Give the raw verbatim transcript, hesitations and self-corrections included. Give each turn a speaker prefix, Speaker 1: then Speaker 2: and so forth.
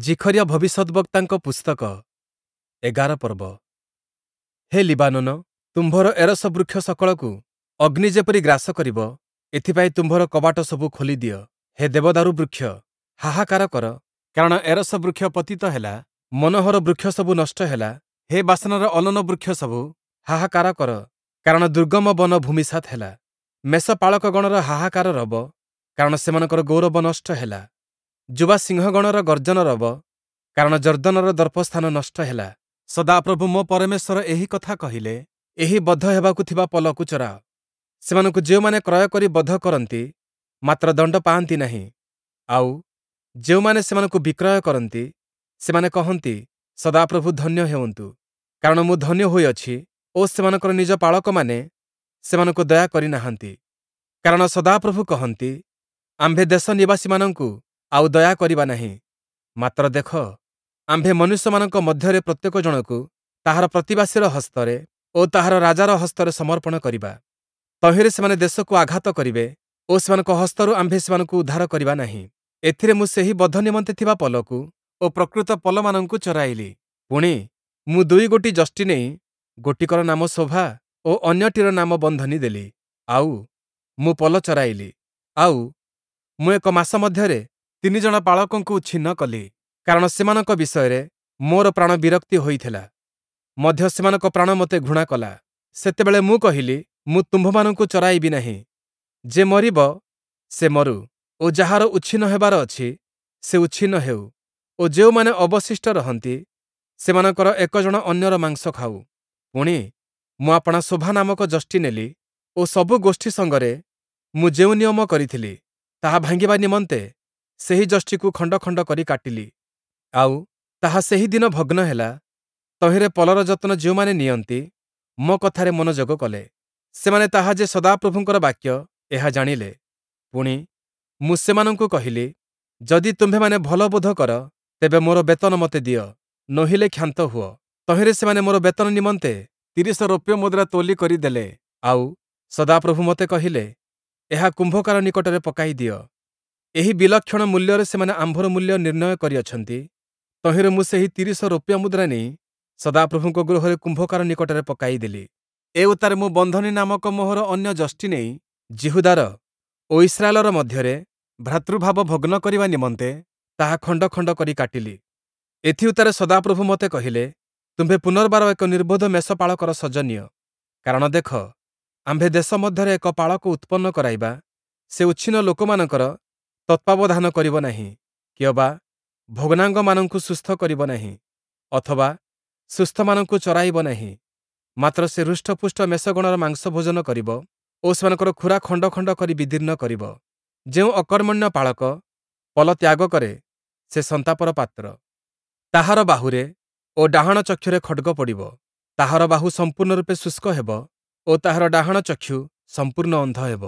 Speaker 1: ଜିଖରିୟ ଭବିଷ୍ୟଦ୍‌ବକ୍ତାଙ୍କ ପୁସ୍ତକ ଏଗାର ପର୍ବ। ହେ ଲିବାନୋନ, ତୁମ୍ଭର ଏରସ ବୃକ୍ଷ ସକଳକୁ ଅଗ୍ନି ଯେପରି ଗ୍ରାସ କରିବ, ଏଥିପାଇଁ ତୁମ୍ଭର କବାଟ ସବୁ ଖୋଲି ଦିଅ। ହେ ଦେବଦାରୁ ବୃକ୍ଷ, ହାହାକାର କର, କାରଣ ଏରସ ବୃକ୍ଷ ପତିତ ହେଲା, ମନୋହର ବୃକ୍ଷ ସବୁ ନଷ୍ଟ ହେଲା। ହେ ବାଶନର ଅଲନ ବୃକ୍ଷ ସବୁ, ହାହାକାର କର, କାରଣ ଦୁର୍ଗମ ବନ ଭୂମିସାତ୍ ହେଲା। ମେଷପାଳକଗଣର ହାହାକାର ରବ, କାରଣ ସେମାନଙ୍କର ଗୌରବ ନଷ୍ଟ ହେଲା। ଯୁବା ସିଂହଗଣର ଗର୍ଜନ ରବ, କାରଣ ଯର୍ଦ୍ଦନର ଦର୍ପସ୍ଥାନ ନଷ୍ଟ ହେଲା। ସଦାପ୍ରଭୁ ମୋ ପରମେଶ୍ୱର ଏହି କଥା କହିଲେ, ଏହି ବଧ ହେବାକୁ ଥିବା ପଲକୁ ଚରାଅ। ସେମାନଙ୍କୁ ଯେଉଁମାନେ କ୍ରୟ କରି ବଧ କରନ୍ତି, ମାତ୍ର ଦଣ୍ଡ ପାଆନ୍ତି ନାହିଁ। ଆଉ, ଯେଉଁମାନେ ସେମାନଙ୍କୁ ବିକ୍ରୟ କରନ୍ତି, ସେମାନେ କହନ୍ତି, ସଦାପ୍ରଭୁ ଧନ୍ୟ ହେଉନ୍ତୁ, କାରଣ ମୁଁ ଧନ୍ୟ ହୋଇଅଛି ଓ ସେମାନଙ୍କର ନିଜ ପାଳକମାନେ ସେମାନଙ୍କୁ ଦୟା କରିନାହାନ୍ତି। କାରଣ ସଦାପ୍ରଭୁ କହନ୍ତି, ଆମ୍ଭେ ଦେଶ ନିବାସୀମାନଙ୍କୁ ଆଉ ଦୟା କରିବା ନାହିଁ। ମାତ୍ର ଦେଖ, ଆମ୍ଭେ ମନୁଷ୍ୟମାନଙ୍କ ମଧ୍ୟରେ ପ୍ରତ୍ୟେକ ଜଣକୁ ତାହାର ପ୍ରତିବାସୀର ହସ୍ତରେ ଓ ତାହାର ରାଜାର ହସ୍ତରେ ସମର୍ପଣ କରିବା। ତହିଁରେ ସେମାନେ ଦେଶକୁ ଆଘାତ କରିବେ ଓ ସେମାନଙ୍କ ହସ୍ତରୁ ଆମ୍ଭେ ସେମାନଙ୍କୁ ଉଦ୍ଧାର କରିବା ନାହିଁ। ଏଥିରେ ମୁଁ ସେହି ବଧ ନିମନ୍ତେ ଥିବା ପଲକୁ ଓ ପ୍ରକୃତ ପଲମାନଙ୍କୁ ଚରାଇଲି। ପୁଣି, ମୁଁ ଦୁଇଗୋଟି ଯଷ୍ଟି ନେଇ ଗୋଟିକର ନାମ ଶୋଭା ଓ ଅନ୍ୟଟିର ନାମ ବନ୍ଧନୀ ଦେଲି। ଆଉ, ମୁଁ ପଲ ଚରାଇଲି। ଆଉ, ମୁଁ ଏକ ମାସ ମଧ୍ୟରେ ତିନି ଜଣ ପାଳକଙ୍କୁ ଉଚ୍ଛିନ୍ନ କଲି, କାରଣ ସେମାନଙ୍କ ବିଷୟରେ ମୋର ପ୍ରାଣ ବିରକ୍ତି ହୋଇଥିଲା, ମଧ୍ୟ ସେମାନଙ୍କ ପ୍ରାଣ ମୋତେ ଘୃଣା କଲା। ସେତେବେଳେ ମୁଁ କହିଲି, ମୁଁ ତୁମ୍ଭମାନଙ୍କୁ ଚରାଇବି ନାହିଁ। ଯେ ମରିବ, ସେ ମରୁ ଓ ଯାହାର ଉଚ୍ଛିନ୍ନ ହେବାର ଅଛି, ସେ ଉଚ୍ଛିନ୍ନ ହେଉ ଓ ଯେଉଁମାନେ ଅବଶିଷ୍ଟ ରହନ୍ତି, ସେମାନଙ୍କର ଏକ ଜଣ ଅନ୍ୟର ମାଂସ ଖାଉ। ପୁଣି, ମୁଁ ଆପଣା ଶୋଭା ନାମକ ଯଷ୍ଟି ନେଲି ଓ ସବୁ ଗୋଷ୍ଠୀ ସଙ୍ଗରେ ମୁଁ ଯେଉଁ ନିୟମ କରିଥିଲି, ତାହା ଭାଙ୍ଗିବା ନିମନ୍ତେ ସେହି ଯଷ୍ଟିକୁ ଖଣ୍ଡ ଖଣ୍ଡ କରି କାଟିଲି। ଆଉ, ତାହା ସେହି ଦିନ ଭଗ୍ନ ହେଲା। ତହିଁରେ ପଲର ଯତ୍ନ ଯେଉଁମାନେ ନିଅନ୍ତି, ମୋ କଥାରେ ମନୋଯୋଗ କଲେ। ସେମାନେ ତାହା ଯେ ସଦାପ୍ରଭୁଙ୍କର ବାକ୍ୟ, ଏହା ଜାଣିଲେ। ପୁଣି, ମୁଁ ସେମାନଙ୍କୁ କହିଲି, ଯଦି ତୁମ୍ଭେମାନେ ଭଲ ବୋଧ କର, ତେବେ ମୋର ବେତନ ମୋତେ ଦିଅ, ନୋହିଲେ କ୍ଷାନ୍ତ ହୁଅ। ତହିଁରେ ସେମାନେ ମୋର ବେତନ ନିମନ୍ତେ ତିରିଶ ରୌପ୍ୟ ମୁଦ୍ରା ତୋଲି କରି ଦେଲେ। ଆଉ, ସଦାପ୍ରଭୁ ମୋତେ କହିଲେ, ଏହା କୁମ୍ଭକାର ନିକଟରେ ପକାଇ ଦିଅ। ଏହି ବିଲକ୍ଷଣ ମୂଲ୍ୟରେ ସେମାନେ ଆମ୍ଭର ମୂଲ୍ୟ ନିର୍ଣ୍ଣୟ କରିଅଛନ୍ତି। ତହିଁରେ ମୁଁ ସେହି ତିରିଶ ରୌପ୍ୟ ମୁଦ୍ରା ନେଇ ସଦାପ୍ରଭୁଙ୍କ ଗୃହରେ କୁମ୍ଭକାର ନିକଟରେ ପକାଇଦେଲି। ଏ ଉତ୍ତାରେ ମୁଁ ବନ୍ଧନୀ ନାମକ ମୋହର ଅନ୍ୟ ଯଷ୍ଟି ନେଇ ଯିହୁଦାର ଓ ଇସ୍ରାଏଲର ମଧ୍ୟରେ ଭ୍ରାତୃଭାବ ଭଗ୍ନ କରିବା ନିମନ୍ତେ ତାହା ଖଣ୍ଡ ଖଣ୍ଡ କରି କାଟିଲି। ଏଥିଉତ୍ତାରେ ସଦାପ୍ରଭୁ ମୋତେ କହିଲେ, ତୁମ୍ଭେ ପୁନର୍ବାର ଏକ ନିର୍ବୋଧ ମେଷପାଳକର ସଜ ନିଅ। କାରଣ ଦେଖ, ଆମ୍ଭେ ଦେଶ ମଧ୍ୟରେ ଏକ ପାଳକ ଉତ୍ପନ୍ନ କରାଇବା, ସେ ଉଚ୍ଛିନ୍ନ ଲୋକମାନଙ୍କର ତତ୍ତ୍ୱାବଧାନ କରିବ ନାହିଁ, କିଅବା ଭଗ୍ନାଙ୍ଗମାନଙ୍କୁ ସୁସ୍ଥ କରିବ ନାହିଁ, ଅଥବା ସୁସ୍ଥମାନଙ୍କୁ ଚରାଇବ ନାହିଁ। ମାତ୍ର ସେ ହୃଷ୍ଟପୁଷ୍ଟ ମେଷଗଣର ମାଂସ ଭୋଜନ କରିବ ଓ ସେମାନଙ୍କର ଖୁରା ଖଣ୍ଡ ଖଣ୍ଡ କରି ବିଦୀର୍ଣ୍ଣ କରିବ। ଯେଉଁ ଅକର୍ମଣ୍ୟ ପାଳକ ପଲ ତ୍ୟାଗ କରେ, ସେ ସନ୍ତାପର ପାତ୍ର। ତାହାର ବାହୁରେ ଓ ଡାହାଣ ଚକ୍ଷୁରେ ଖଡ଼୍ଗ ପଡ଼ିବ। ତାହାର ବାହୁ ସମ୍ପୂର୍ଣ୍ଣ ରୂପେ ଶୁଷ୍କ ହେବ ଓ ତାହାର ଡାହାଣ ଚକ୍ଷୁ ସମ୍ପୂର୍ଣ୍ଣ ଅନ୍ଧ ହେବ।